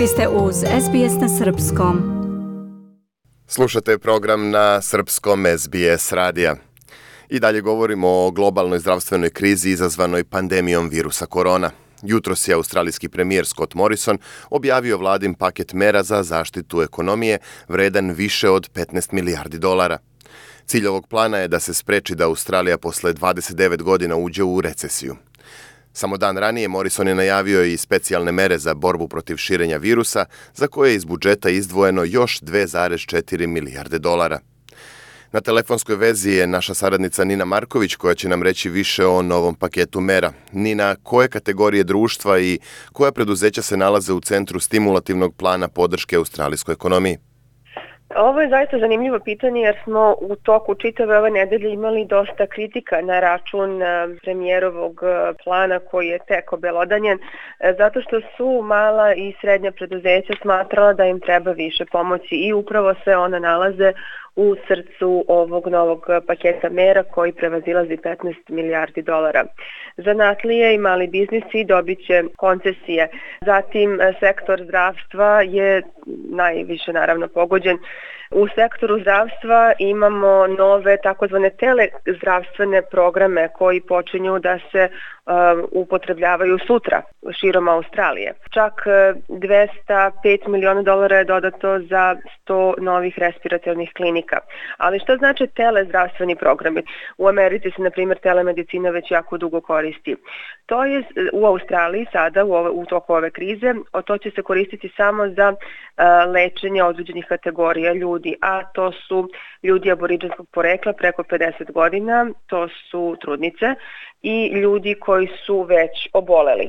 Vi ste uz SBS na Srpskom. Slušate program na Srpskom SBS radija. I dalje govorimo o globalnoj zdravstvenoj krizi izazvanoj pandemijom virusa korona. Jutros je australijski premijer Scott Morrison objavio vladin paket mera za zaštitu ekonomije vredan više od 15 milijardi dolara. Cilj ovog plana je da se spreči da Australija posle 29 godina uđe u recesiju. Samo dan ranije Morrison je najavio i specijalne mere za borbu protiv širenja virusa, za koje je iz budžeta izdvojeno još 2,4 milijarde dolara. Na telefonskoj vezi je naša saradnica Nina Marković koja će nam reći više o novom paketu mera. Nina, koje kategorije društva i koja preduzeća se nalaze u centru stimulativnog plana podrške australijskoj ekonomiji? Ovo je zaista zanimljivo pitanje jer smo u toku čitave ove nedelje imali dosta kritika na račun premijerovog plana koji je tek obelodanjen, zato što su mala i srednja preduzeća smatrala da im treba više pomoći i upravo se ona nalaze u srcu ovog novog paketa mera koji prevazilazi 15 milijardi dolara. Zanatlije i mali biznisi dobit će koncesije. Zatim sektor zdravstva je najviše naravno pogođen. U sektoru zdravstva imamo nove takozvane telezdravstvene programe koji počinju da se upotrebljavaju sutra širom Australije. Čak 205 miliona dolara je dodato za 100 novih respiratornih klinika. Ali šta znači telezdravstveni programi? U Americi se, na primjer, telemedicina već jako dugo koristi. To je u Australiji sada, u toku ove krize, to će se koristiti samo za lečenje određenih kategorija ljudi, a to su ljudi aboriđinskog porekla preko 50 godina, to su trudnice i ljudi koji su već oboleli.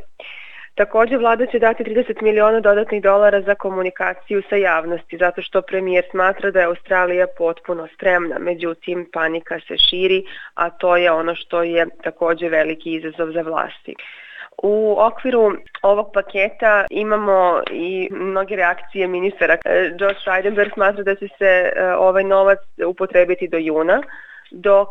Također vlada će dati 30 miliona dodatnih dolara za komunikaciju sa javnosti, zato što premijer smatra da je Australija potpuno spremna. Međutim, panika se širi, a to je ono što je također veliki izazov za vlasti. U okviru ovog paketa imamo i mnoge reakcije ministara. Josh Frydenberg smatra da će se ovaj novac upotrebiti do juna, dok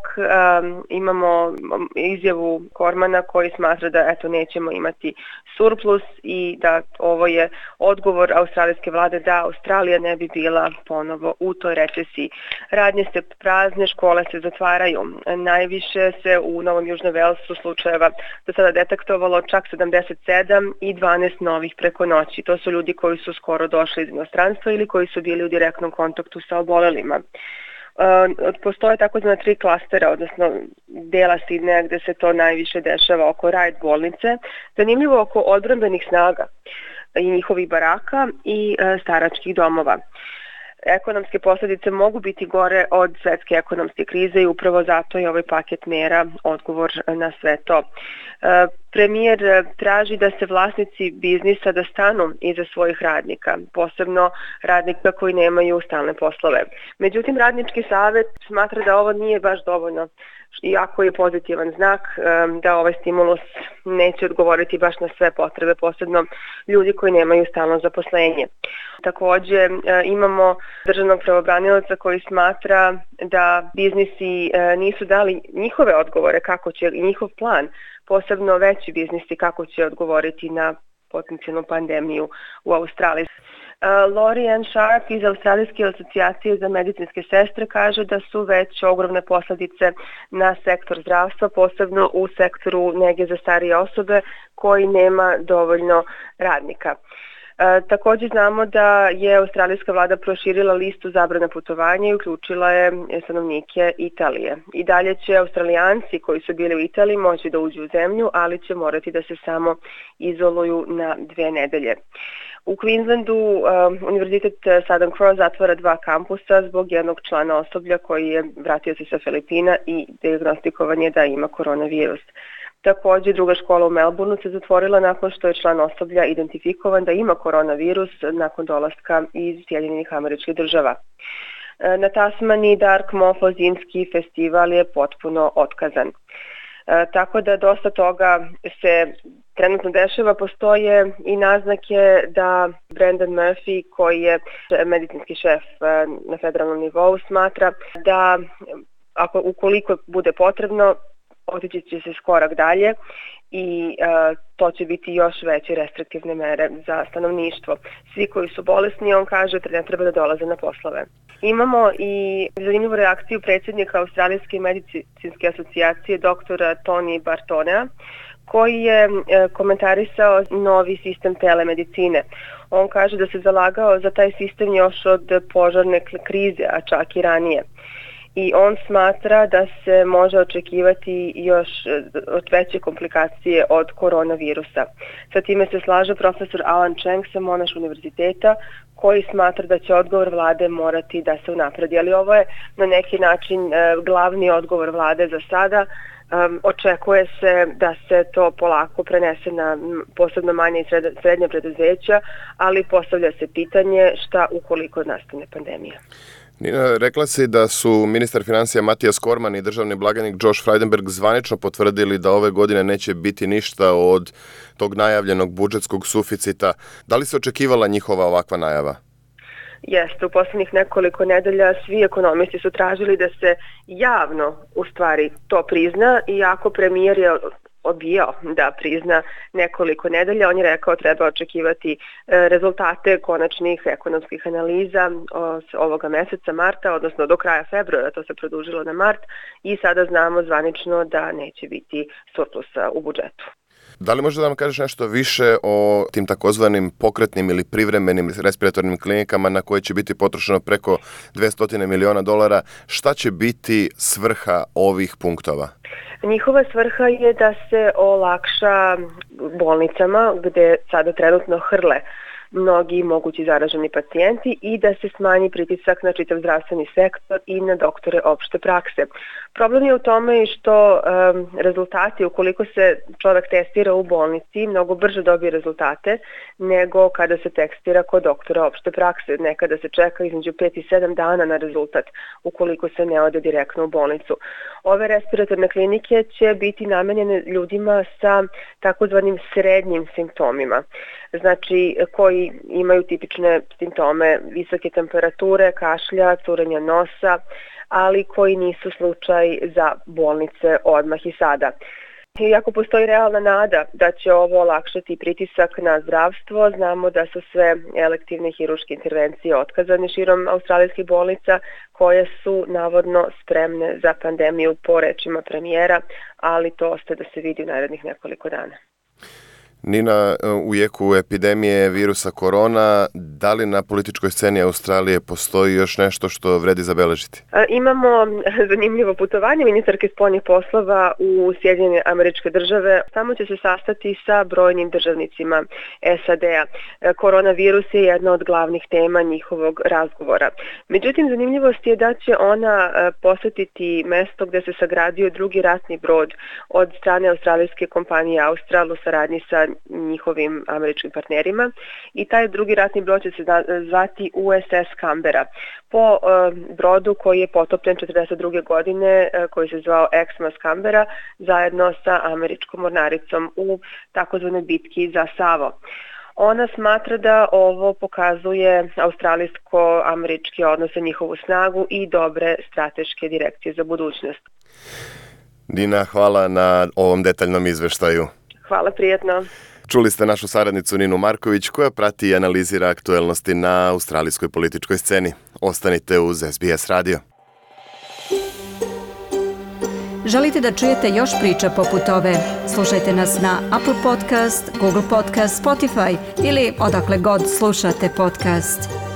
imamo izjavu Kormana koji smatra da nećemo imati surplus i da ovo je odgovor australijske vlade da Australija ne bi bila ponovo u toj recesiji. Radnje se prazne, škole se zatvaraju. Najviše se u Novom Južnom Velsu slučajeva do sada detektovalo čak 77 i 12 novih preko noći. To su ljudi koji su skoro došli iz inostranstva ili koji su bili u direktnom kontaktu sa obolelima. Postoje takozvana 3 klastera, odnosno dela Sidneja gde se to najviše dešava oko Ryde bolnice. Zanimljivo oko odbrambenih snaga i njihovih baraka i staračkih domova. Ekonomske posljedice mogu biti gore od svetske ekonomske krize i upravo zato je ovaj paket mera odgovor na sve to. Premijer traži da se vlasnici biznisa da stanu iza svojih radnika, posebno radnika koji nemaju stalne poslove. Međutim, radnički savjet smatra da ovo nije baš dovoljno, iako je pozitivan znak da ovaj stimulus neće odgovoriti baš na sve potrebe, posebno ljudi koji nemaju stalno zaposlenje. Također imamo državnog pravobranioca koji smatra da biznisi nisu dali njihove odgovore kako će njihov plan, posebno veći biznisi kako će odgovoriti na potencijalnu pandemiju u Australiji. Lori Ann Sharp iz Australijske asocijacije za medicinske sestre kaže da su već ogromne posljedice na sektor zdravstva, posebno u sektoru nege za starije osobe koji nema dovoljno radnika. Također znamo da je australijska vlada proširila listu zabrana putovanja i uključila je stanovnike Italije. I dalje će Australijanci koji su bili u Italiji moći da uđu u zemlju, ali će morati da se samo izoluju na 2 nedelje. U Queenslandu Univerzitet Southern Cross zatvara 2 kampusa zbog jednog člana osoblja koji je vratio se sa Filipina i dijagnostikovan je da ima koronavirus. Također, druga škola u Melbourneu se zatvorila nakon što je član osoblja identifikovan da ima koronavirus nakon dolaska iz Sjedinjenih Američkih Država. Na Tasmaniji Dark Mofo zimski festival je potpuno otkazan. Tako da dosta toga se trenutno dešava. Postoje i naznake da Brendan Murphy, koji je medicinski šef na federalnom nivou, smatra da ukoliko bude potrebno, otići će se korak dalje i to će biti još veće restriktivne mere za stanovništvo. Svi koji su bolesni, on kaže, ne treba da dolaze na poslove. Imamo i zanimljivu reakciju predsjednika Australijske medicinske asocijacije doktora Tony Bartonea, koji je komentarisao novi sistem telemedicine. On kaže da se zalagao za taj sistem još od požarne krize, a čak i ranije. I on smatra da se može očekivati još veće komplikacije od koronavirusa. Sa time se slaže profesor Alan Cheng sa Monash univerziteta, koji smatra da će odgovor vlade morati da se unapredi. Ali ovo je na neki način glavni odgovor vlade za sada. Očekuje se da se to polako prenese na posebno manje i srednje preduzeća, ali postavlja se pitanje šta ukoliko nastane pandemija. Nina, rekla si da su ministar financija Matijas Korman i državni blagajnik Josh Frydenberg zvanično potvrdili da ove godine neće biti ništa od tog najavljenog budžetskog suficita. Da li se očekivala njihova ovakva najava? Jeste, u posljednjih nekoliko nedelja svi ekonomisti su tražili da se javno u stvari to prizna, iako premijer je odbijao da prizna nekoliko nedelja. On je rekao treba očekivati rezultate konačnih ekonomskih analiza ovoga meseca marta, odnosno do kraja februara, to se produžilo na mart i sada znamo zvanično da neće biti surplusa u budžetu. Da li možda da nam kažeš nešto više o tim takozvanim pokretnim ili privremenim respiratornim klinikama na koje će biti potrošeno preko $200 miliona? Šta će biti svrha ovih punktova? Njihova svrha je da se olakša bolnicama gde sada trenutno hrle mnogi mogući zaraženi pacijenti i da se smanji pritisak na čitav zdravstveni sektor i na doktore opšte prakse. Problem je u tome što rezultati, ukoliko se čovjek testira u bolnici, mnogo brže dobije rezultate nego kada se testira kod doktora opšte prakse. Nekada se čeka između 5 i 7 dana na rezultat ukoliko se ne ode direktno u bolnicu. Ove respiratorne klinike će biti namenjene ljudima sa takozvanim srednjim simptomima, znači koji imaju tipične simptome visoke temperature, kašlja, curenja nosa, ali koji nisu slučaj za bolnice odmah i sada. Iako postoji realna nada da će ovo olakšati pritisak na zdravstvo, znamo da su sve elektivne hirurške intervencije otkazane širom australijskih bolnica koje su navodno spremne za pandemiju po rečima premijera, ali to ostaje da se vidi u narednih nekoliko dana. Nina, u jeku epidemije virusa korona, da li na političkoj sceni Australije postoji još nešto što vredi zabeležiti? Imamo zanimljivo putovanje ministarke spoljnih poslova u Sjedinjene Američke Države. Tamo će se sastati sa brojnim državnicima SAD-a. Koronavirus je jedna od glavnih tema njihovog razgovora. Međutim, zanimljivost je da će ona posjetiti mesto gde se sagradio drugi ratni brod od strane australijske kompanije Austral u saradnji sa njihovim američkim partnerima i taj drugi ratni brod će se zvati USS Canberra po brodu koji je potopljen 1942. godine koji se zvao Exmouth Canberra zajedno sa američkom mornaricom u takozvanoj bitki za Savo. Ona smatra da ovo pokazuje australijsko-američke odnose, njihovu snagu i dobre strateške direkcije za budućnost. Dina, hvala na ovom detaljnom izveštaju. Hvala, prijetno. Čuli ste našu saradnicu Ninu Marković koja prati i analizira aktuelnosti na australijskoj političkoj sceni. Ostanite uz SBS radio. Želite da čujete još priča poput ove? Slušajte nas na Apple Podcast, Google Podcast, Spotify ili odakle god slušate podcast.